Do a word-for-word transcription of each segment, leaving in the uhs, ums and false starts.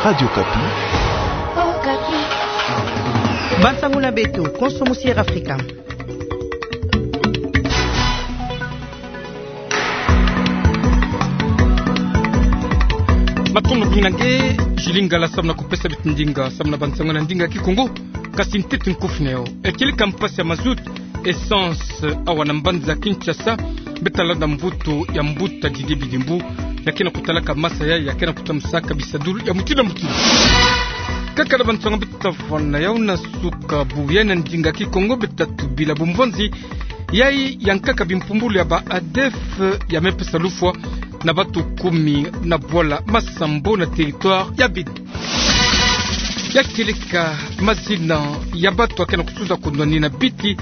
Radio Okapi. Bansango na beto, konso musi Air Africa. Matondo mingi na nge, Julie Ngala, samu na kupesa beto ndinga samu na bansango na ndinga Kikongo. Kasi ntete nkufi na yo. E kieleka mpasi ya mazout, essence, awa na mbanza Kinshasa, beto talanda mvutu ya mbuta Didier Bidimbu, ya ke na kutalaka masa yayi, ya ke na kutamusaka bisadulu ya mutindu na mutindu. Kaka na bansango beto tavana yau na suka bubu yayi na ndinga Kikongo, beto tatubila bumvonzi yayi ya nkaka bimpumbulu ya ba ADEF ya me pesa lufwa na bantu kumi na bwala masambo na territoire ya Beni. Ya kieleka mazina ya bantu ya ke na kusuza kundwani na biti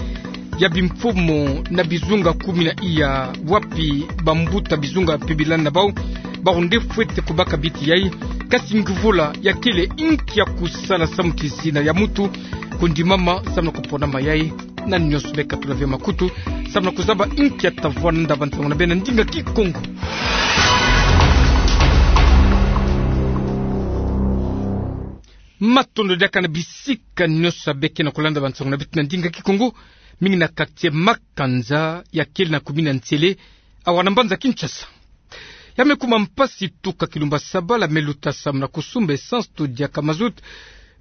ya bimfumu na bizunga kumi na iya, wapi bambuta bizunga mpe bilani na bau, bau nde fwete kubaka biti yayi, kasi nguvula ya kele inki ya kusala samu ti zina ya muntu kundimama samu na kuponama yayi. Na nionso beka tula ve makutu samu na kuzaba inki ya tavwanda bansango na beno na ndinga Kikongo. Matondo diaka na bisika nionso ya beke na kulanda bansango na beto na ndinga Kikongo, mingi na quartier Makanza ya kele na commune ya Nsele, awa na mbanza Kinshasa. Ya me kuma mpasi tuka kilumbu sabala me luta samu na kusumba essence to diaka mazout,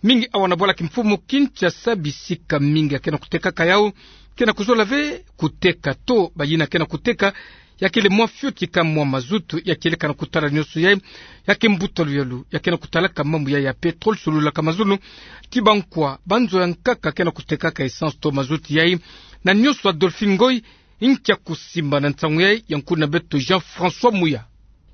mingi awa na bwala kimfumu Kinshasa, bisika mingi ya ke na kutekaka yau ke na kuzola ve kuteka to bayina ke na kuteka, ya kele mwa fioti ka mwa mazout. Ya kieleka na kutala nionso yayi, ya ke mbuta luyalu ya ke na kutalaka mambu yayi ya pétrole, sololaka mazono ti bankwa, banzo ya nkaka ke na kutekaka essence to mazout yayi. Na nionso, Adolphine Ngoy, inki ya kusimba na nsangu yayi, ya nkulu na beto Jean-François Muya.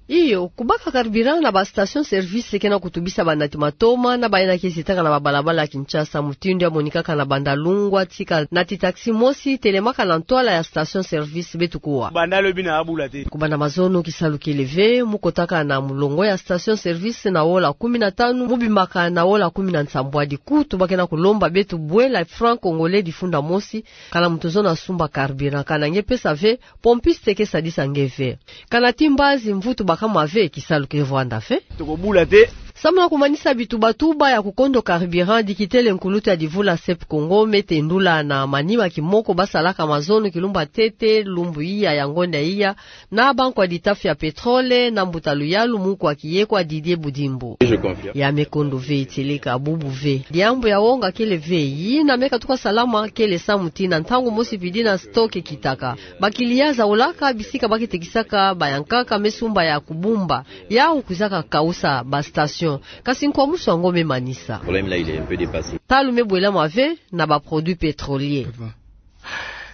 Iyo, kubaka carburant na ba station service ke na kutubisa banati matoma na bayina ke zitaka na babalabala ya Kinshasa. Mutindu ya monikaka na banda lungwa tika nati taxi mosi telemaka na ntwala ya station service, beto kuwa. Banda lobi na abula te. Kubanda mazono kisalu kele ve, mu kotaka na mulongo ya station service na wola kumi na tanu, mu bimaka na wola kumi na nsambwadi. Kutu ba ke na kulomba beto bwela franc congolais difunda mosi, kana muntu zono asumba carburant. Kana nge pesa ve, pompiste ke sadisa nge ve. Kana ti mbazi mvutu bakama ve, kisalu ke vwanda ve. Toko bula te. Samu na kumanisa bitubatuba ya kukondo carburant, dikitele nkulutu ya divula Sep Congo me tendula na manima kimoko basalaka mazono kilumbu ya ntete, lumbu iya ya ngonda iya, na bankwa ditafi ya pétrole, na mbuta luyalu, munkwa kiyekwa Didier Budimbu. Je confirme. Ya me kondo ve, tieleka bubu ve. Diambu ya wonga kele ve, yina me katuka salama kele samu ti na ntangu mosi pidi na stock kitaka. Ba clients zaulaka bisika ba ke tekisaka bayankaka me sumba ya kubumba. Yau kwizaka kausa ba station. Kasi nkwamusu yango me manisa. Problème là, il est un peu dépassé. Talu me bwelama ve na ba produits pétroliers.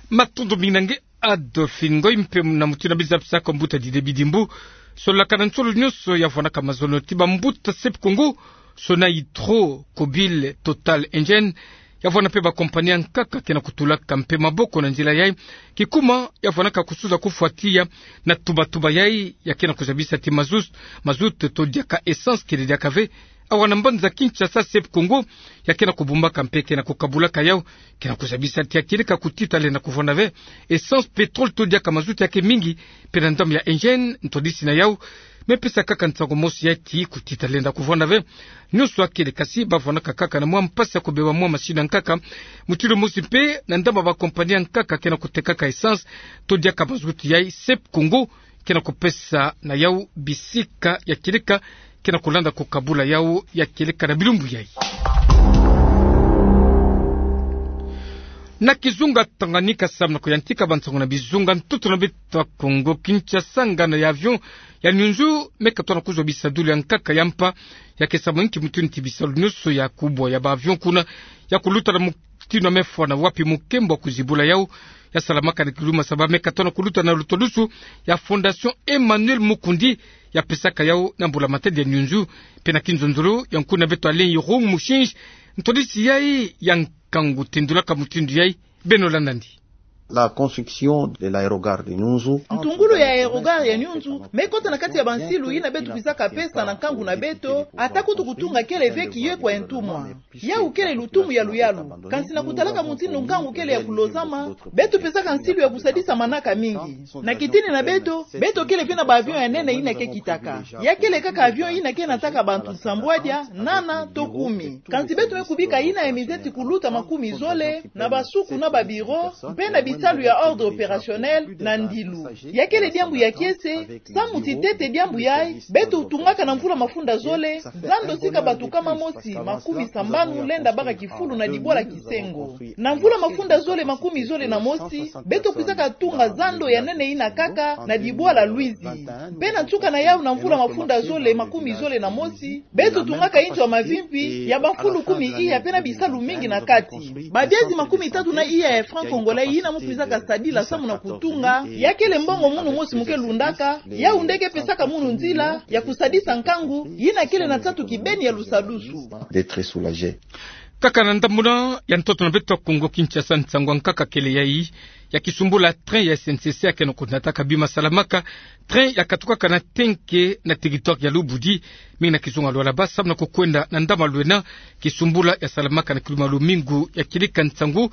Matondo mingi na nge, Adolphine Ngoy, mpe na mutindu ya bizabu saka mbuta Didier Bidimbu, sololaka na nsolo nionso ya vwanaka mazono ti bambuta Sep Congo, Sonahydro, Cobil, Total, Engen, ya vwana mpe ba compagnie ya nkaka ke na kutulaka mpe maboko na nzila yayi. Kikuma ya vwanaka kusuza kufwa tiya na tubatuba yayi, ya ke na kuzabisa ti mazout, mazout to diaka essence kele diaka ve awa na mbanza Kinshasa. Sep Congo ya ke na kubumbaka mpe ke na kukabulaka yau, ke na kuzabisa ti ya kieleka kutita lenda kuvwanda ve essence, pétrole to diaka mazout ya ke mingi mpe na ndambu ya Engen, ntwadisi na yau me pesa kaka nsangu mosi ya ti kutita lenda kuvwanda ve. Nionso ya kele kasi ba vwanaka kaka na mwa mpasi ya kubeba mwa masini ya nkaka. Mutindu mosi mpe na ndambu ya ba compagnie ya nkaka ke na kutekaka essence to diaka mazout yayi, Sep Congo ke na kupesa na yau bisika ya kieleka ke na kulanda kukabula yau ya kieleka na bilumbu yayi. Na kizunga Tanganyika, samu na kuyantika bansangu na bizunga ntoto na beto ya Kongo Kinshasa, nganda ya avion ya Niunzu me katoa na kuzwa bisadulu ya nkaka ya mpa, ya ke samu inki mutindu ti bisalu nionso ya kubwa ya ba avion kuna ya kuluta na mutindu ya me fwa na wapi mukembo wa kuzibula yau ya salamaka na kiluma saba me katoa na kuluta na lutalusu ya Fondation Emmanuel Mukundi ya pesaka yau na mbula-matadi ya Niunzu. Mpe na kinzonzolo ya nkuna beto Alain Irung Mushinji, ntwadisi yayi ya nkangu tendulaka mutindu yayi. Beno landa ndi. La construction de l'aérogare de Nyunzu. Ntungulu ya aérogare ya Nyunzu me kota na kati ya bansilu yina beto kwizaka pesa na nkangu na beto, ata kutu kutunga kele ve kiyo kwa ntumwa. Yawu kele lutumu ya luyalu. Kansi na kutalaka mutindu nkangu kele ya kulozama, beto pesaka nsilu ya kusadisa manaka mingi. Na kitini na beto, beto kele ve na ba avion ya nene yina ke kitaka. Ya kele kaka avion yina ke nataka bantu nsambwadia, nana, to kumi. Kansi beto me kubika yina ya mizeti kuluta makumi zole, na basuku na ba bureau, mpe na bisalu ya ordre opérationnel, na ndilu. Ya kele diambu ya kiese, samu ti tete diambu yayi, beto tungaka na mvula mafunda zole, zando sika bantu nkama mosi makumi sambanu lenda baka kifulu na dibwala Kisengo. Na mvula mafunda zole makumi zole na mosi, beto kwizaka tunga zando ya nene yina kaka na dibwala Luizi. Mpe na nsuka na yawu na mvula mafunda zole makumi zole na mosi, beto tungaka inzo ya mavimpi ya bamfulu kumi iya mpe na bisalu mingi na kati. Babiazi makumi tatu na iya ya franc congolais yina mu kwizaka sadila samu na kutunga, ya kele mbongo munu mosi mu ke lundaka, yawu nde ke pesaka munu nzila ya kusadisa nkangu, yina kele na nsatu kibeni ya lusadusu. D'être soulagé. Kaka na ndambu na ya ntoto na beto ya Kongo Kinshasa, nsangu ya nkaka kele yayi, ya kisumbula train ya S N C C ya ke na kunataka bima salamaka, train ya katukaka na tenke na territoire ya Lubudi, mingi na kizunga lwala ba samu na kukwenda na ndama lwena, kisumbula ya salamaka na kiluma lumingu ya kilika nsangu,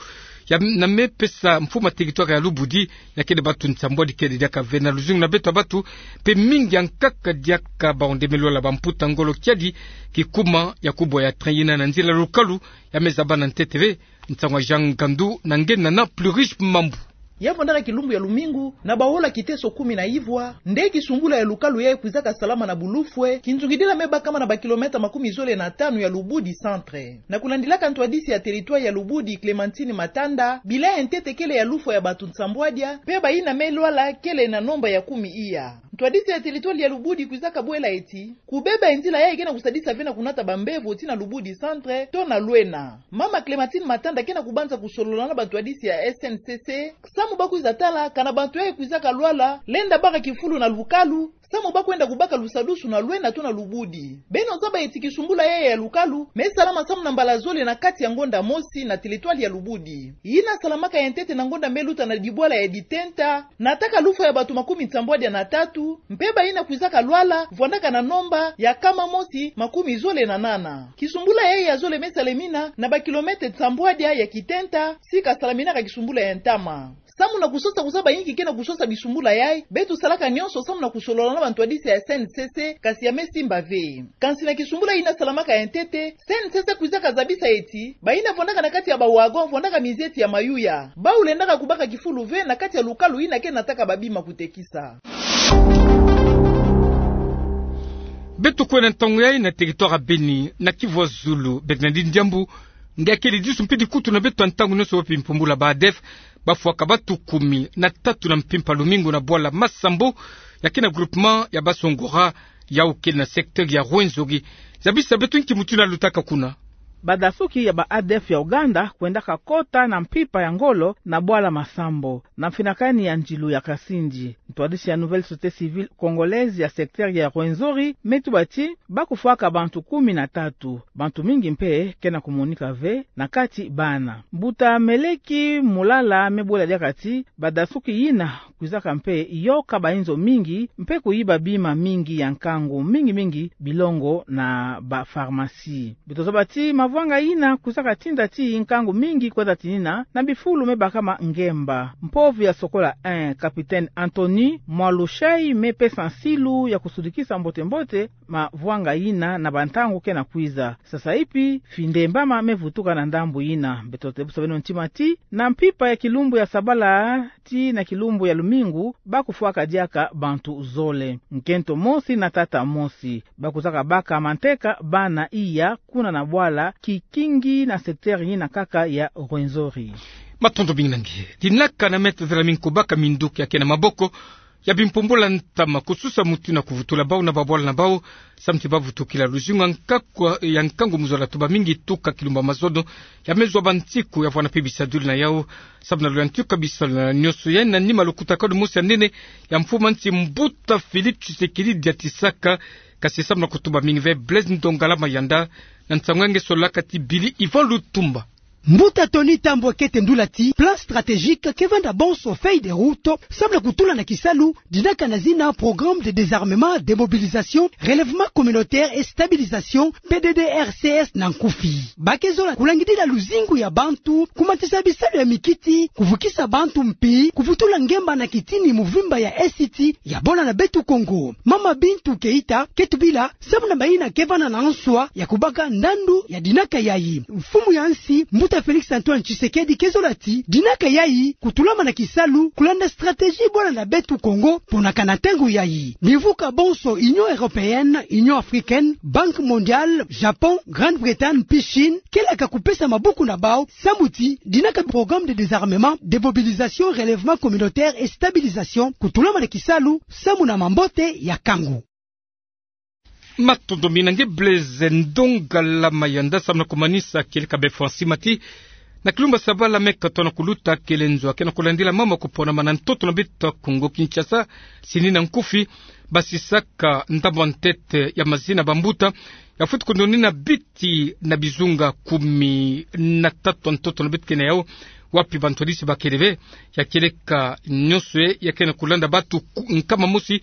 ya na me pesa mfumu ya territoire ya Lubudi, na kele bantu nsambwadi kele diaka ve na luzingu na beto ya bantu, mpe mingi ya nkaka diaka baonde me lwala bamputa ngolo kiadi, kikuma ya kubwa ya train yina na nzila lukalu, ya me zaba na ntete ve, nsangu ya Jean Ngandu na nge na na Plurish Mambu. Ya vwandaka kilumbu ya lumingu, na bahola kiteso kumi na ivwa, nde kisumbula ya lukalu yayi kwizaka salama na bulufwe, kinzungidila me bakama na ba kilomètre makumi zole na tanu ya Lubudi centre. Na kulandilaka ntwadisi ya territoire ya Lubudi Clémentine Matanda, bila ya ntete kele ya lufwa ya bantu nsambwadia, mpe bayina me lwala kele na nomba ya kumi iya. Ntwadisi ya territoire ya Lubudi kwizaka bwela eti, kubeba ya nzila yayi ke na kusadisa ve na kunata bambevo tii na Lubudi centre, to na lwena. Mama Clémentine Matanda ke na kubanza kusolola na bantwadisi ya S N C C, samu ba kwiza tala, kana bantu yayi kwizaka lwala, lenda baka kifulu na lukalu, samu ba kwenda kubaka lusadusu na lwena to na Lubudi. Beno zaba eti kisumbula yayi ya lukalu, me salama samu na mbala zole na kati ya ngonda mosi na territoire ya Lubudi. Yina salamaka ya ntete na ngonda me luta na dibwala ya Ditenta, nataka lufwa ya bantu makumi nsambwadia na tatu, mpe bayina kwizaka lwala, vwandaka na nomba ya nkama mosi makumi zole na nana. Kisumbula yayi ya zole me salamina, na ba kilomètre nsambwadia ya Kitenta, sika salaminaka kisumbula ya ntama. Samu na kusosa kuzaba inki ke na kusosa bisumbula yayi, beto salaka nyonso samu na kusolola na bantwadisi ya S N C C, kasi ya me simba ve. Kansi na kisumbula yina salamaka ya ntete, S N C C kwizaka zabisa eti, bayina vwandaka na kati ya ba wagon, vwandaka mizeti ya mayuya. Bawu lendaka kubaka kifulu ve na kati ya lukalu yina ke nataka babima kutekisa. Beto kwenda ntangu yayi na territoire ya Beni, na Kivu ya Zulu, Bernardine Diambu, nge akele disu mpe dikutu na beto ya ntangu nyonso wapi mpumbula ba ADF, bafwaka bantu kumi na tatu na mpimpa lumingu na bwala Masambo, ya ke na groupement ya Basongora, yawu kele na secteur ya Rwenzori. Zabisa beto inki mutu yina lutaka kuna. Badasuki ya ba ADF ya Uganda kwendaka kota na mpimpa ya ngolo na bwala Masambo, na mfinakani ya nzilu ya Kasindi. Ntwadisi ya Nouvelle Société Civile Congolaise ya secteur ya Rwenzori me tuba ti, ba kufwaka bantu kumi na tatu. Bantu mingi mpe ke na kumonika ve, na kati bana. Mbuta Meleki Mulala me bwela diaka ti, badasuki yina kwizaka mpe yoka bainzo mingi, mpe kuyiba bima mingi ya nkangu, mingi mingi bilongo na ba pharmacie. Beto zaba ti mavwanga yina kwizaka tinda ti nkangu mingi kwenda tinina na bifulu me bakama ngemba. Mpovi ya Sokola un, capitaine Anthony Mwalushai, me pesa nsilu ya kusudikisa mbote-mbote mavwanga yina na bantangu ke na kwiza. Sasa ipi, findembama me vutuka na ndambu yina. Beto tebusa beno ntima ti, na mpimpa ya kilumbu ya sabala tii na kilumbu ya lumingu, ba kufwaka diaka bantu zole. Nkento mosi na tata mosi. Ba kwizaka baka manteka bana iya kuna na bwala Kikingi na secteur yina kaka ya Rwenzori. Matondo mingi na nge. Dinaka na meta zela mingi kubaka minduki ya ke na maboko ya bimpumbula ntama kususa mutu na kuvutula bawu na babwala na bawu, samu ti ba vutukila luzingu ya nkakwa ya nkangu mu zola tuba mingi tuka kilumbu ya mazono, ya me zwa bansiku ya vwanda mpe bisaduli na yawu, samu na luyantika bisalu na nyonso ya na nima lukutakanu mosi ya nene ya mfumu ya nsi mbuta Félix Tshisekedi diatisaka, kasi samu na kutuba mingi ve Blaise Ndongala Mayanda, na nsangu ya nge solaka ti Billy Yvan Lutumba. Mbuta Tony Tambwe kete ndula ti plan stratégique ke vanda bonso feuille de route samu na kutula na kisalu dinaka na zina Programme de désarmement, démobilisation, relèvement communautaire et stabilisation, P D D R C S na nkufi. Ba ke zola kulangidila luzingu ya bantu, kumatisa bisalu ya mikiti, kuvukisa bantu mpi, kuvutula ngemba na kitini muvimba ya Est ya bola na beto Kongo. Mama Bintou Keita ke tubila samu na bayina ke vanda na nswa ya kubaka ndandu ya dinaka yayi. Mfumu ya nsi, Mbuta Félix Antoine Tshisekedi ke zola ti dinaka yayi kutulama na kisalu, kulanda stratégie bola na beto Kongo, mpo na kana ntangu yayi. Bimvuka bonso Union Européenne, Union Africaine, Banque Mondiale, Japon, Grande-Bretagne mpi Chine, ke laka kupesa mabuku na bau, samu ti dinaka Programme de désarmement, démobilisation, relèvement communautaire et stabilisation kutulama na kisalu, samu na mambote ya kangu. Matondo mingi na nge Blaise Ndongala Mayanda, samu na kumanisa kieleka bie Francima ti na kilumbu sabala me katoto na kuluta, kele nzo ya ke na kulandila mama kuponama na ntoto na beto Kongo Kinshasa, sini na nkufi, basisaka ndambu ya ntete ya mazina bambuta ya fweti kununina biti na bizunga kumi na tatu ya ntoto na beto ke na yau, wapi bantu yadisi bakele bie. Ya kieleka nyonso ye ya ke na kulanda bantu ku-, nkama mosi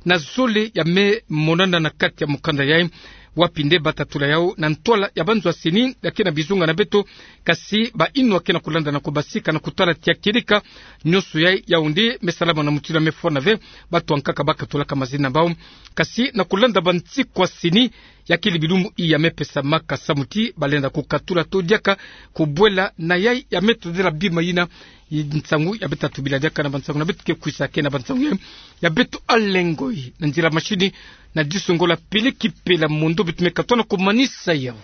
na zole ya me monana na kati ya mukanda yayi, wapi nde bata tula yau na ntwala ya banzwa sini ya ke na bizunga na beto, kasi bayinwa ke na kulanda na kubasika na kutala ti ya kieleka nyonso yayi, yau nde me salama na mutindu ya me fwana bie, bantu ankaka ba katulaka mazina na bau. Kasi na kulanda bansikwa sini, ya kele bilumbu yi ya me pesamaka samu ti balenda kukatula to diaka kubwela na yayi ya me todela bima yina. Nsangu ya beta tubila diaka na bansangu na beto ke kwisa ke na bansangu yayi, ya beto alengoi na nzila mashini, na diso ngolo Peleki Pela Mondo, beto me katoto na kumanisa yau.